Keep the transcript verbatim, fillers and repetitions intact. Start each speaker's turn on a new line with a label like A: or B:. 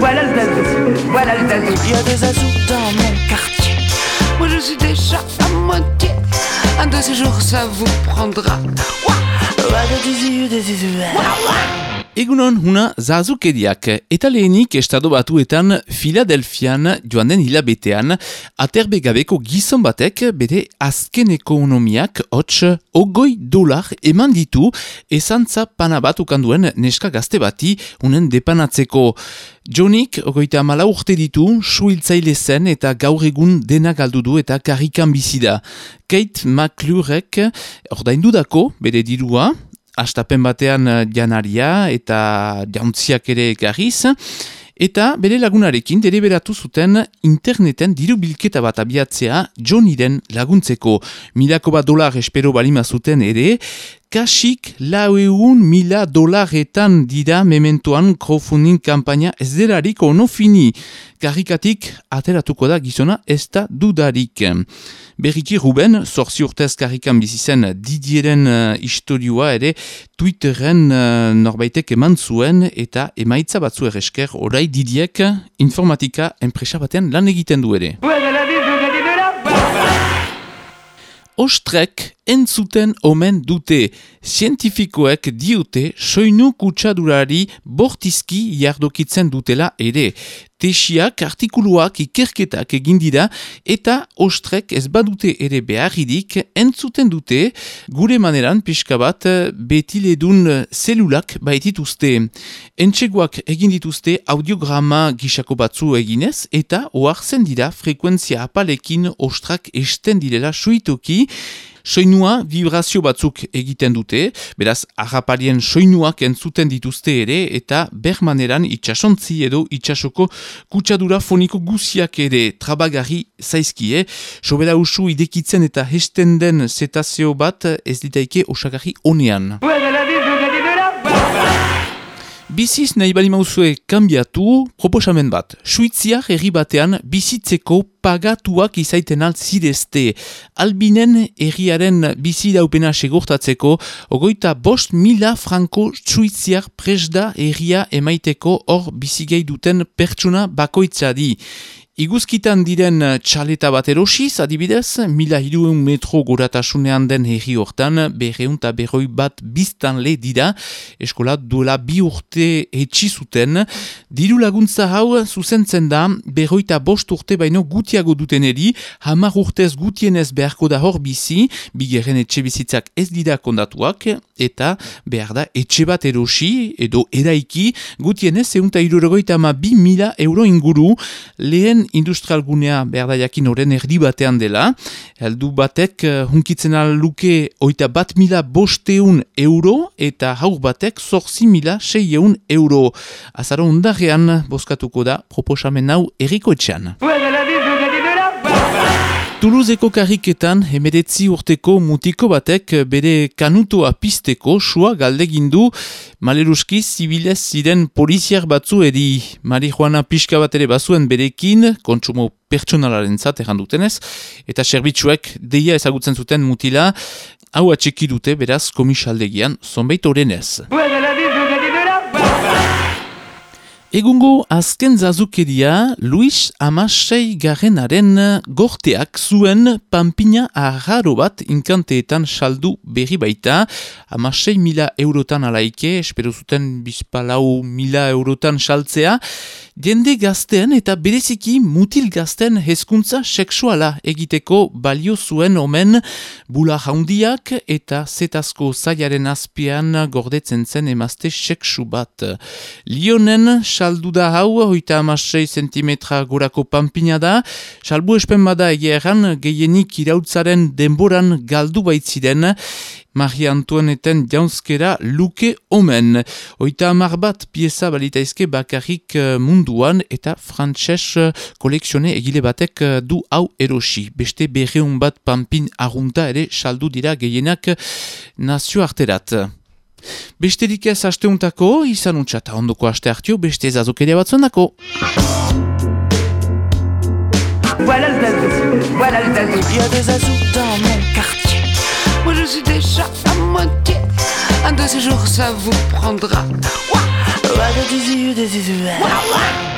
A: voilà le zazou, voilà le zazou.
B: Il y a des zazous dans mon quartier. Moi je suis déjà à moitié. Un de ces jours ça vous prendra.
C: Egunon huna zazukeriak, eta lehenik estado batuetan Filadelfian joan den hilabetean aterbegabeko gizon batek bere azken ekonomiak hots ogoi dolar eman ditu ezantza pana bat ukanduen neska gazte bati unen depanatzeko. Jonik ogoita amala urte ditu, suhiltzaile zen eta gaur egun dena galdu du eta karrikan bizi da. Kate McClurek ordaindudako bere dirua, astapen batean janaria eta jauntziak ere ekarriz, eta bere lagunarekin deliberatu zuten interneten diru bilketa bat abiatzea Johniren laguntzeko. Milako bat dolar espero balima zuten ere, kasik laueun mila dolaretan dira mementoan crowdfunding kampaina ez delarik ono fini. Karrikatik ateratuko da gizona ez da dudarik. Berriki Ruben, zorzi urtez karrikan bizizen Didieren uh, istorioa ere Twitteren uh, norbaitek eman zuen eta emaitza batzu eresker orai Didiek informatika enpresa batean lan egiten du ere. Ostrek entzuten omen dute. Zientifikoek diote soinu kutsadurari bortizki jardokitzen dutela ere. Tesiak, artikuluak, ikerketak egin dira eta ostrek ez badute ere beharridik entzuten dute gure maneran pixka bat betiledun zelulak baitituzte. Entxegoak egin dituzte audiograma gisako batzu eginez eta ohartzen dira frekuentzia apalekin ostrak esten direla suitoki. Soinua vibrazio batzuk egiten dute, beraz harraparien soinuak entzuten dituzte ere eta bermaneran itxasontzi edo itxasoko kutsadura foniko guziak ere trabagarri zaizkie. Sobera usu idekitzen eta hesten den zetazeo bat ez ditaike osagarri onean. Biziz nahi bali mauzue kanbiatu, proposamen bat. Suitziar herri batean bizitzeko pagatuak izaiten altzidezte. Albinen herriaren bizi daupena segurtatzeko, ogoita bost mila franko suitziar presda herria emaiteko hor bizigei duten pertsona bakoitzadi. Iguzkitan diren txaleta bat erosiz, adibidez, mila hirueun metro goratasunean den herri hortan, berreun eta berroi bat biztan le dira, eskola duela bi urte etxizuten. Diru laguntza hau zuzentzen da, berroi eta bost urte baino gutiago duteneri, hamar urtez gutienez beharko da hor bizi, bigarren etxe bizitzak ez dira kondatuak, eta behar da etxe bat erosi, edo eraiki, gutienez eunta irurogoita ama bi mila euro inguru, lehen industrial gunea behar da jakin horren erdi batean dela. Heldu batek uh, hunkitzen luke oita bat mila bosteun euro eta haur batek zorzi mila seieun euro. Azaro undarrean bozkatuko da proposamen hau erriko etxean. Toulouseko karriketan hemeretzi urteko mutiko batek bere kanutoa pizteko sua galdegindu maleruski zibilez ziren poliziar batzu edi marihuana pixka bat ere bazuen berekin, kontsumo pertsonalaren zat errandutenez, eta serbitzuek deia ezagutzen zuten mutila, hau atxeki dute beraz komisaldegian zonbait orenez. Egungo azken zazukeria, Luis Amasei Garrenaren gorteak zuen pampina arraro bat inkanteetan saldu berri baita. Amasei mila eurotan alaike, espero zuten bizpalau mila eurotan saltzea. Jende gazten eta bereziki mutil gazten hezkuntza sexuala egiteko balio zuen omen bula jaundiak eta zetazko zaiaren azpian gordetzen zen emazte sexu bat. Lionen saldu da hau, hoita amasei zentimetra gorako pampina da, salbu espen bada egeran gehienik irautzaren denboran galdu baitziren, Maria Antoineten jaunzkera luke omen. Hoita amar bat pieza balitaizke bakarrik munduan eta frantses kolekzione egile batek du hau erosi. Beste berreun bat pampin arrunta ere saldu dira gehienak nazio arterat. Besterik ez asteuntako, izan untxata ondoko aste hartio, beste zazukeria batzuendako.
A: Voilà le zazou, voilà le zazou.
B: Il y a des zazous dans mon quartier. Moi je suis déjà à moitié. Un de ces jours ça vous prendra. Ouah, ouah, ouah, ouah.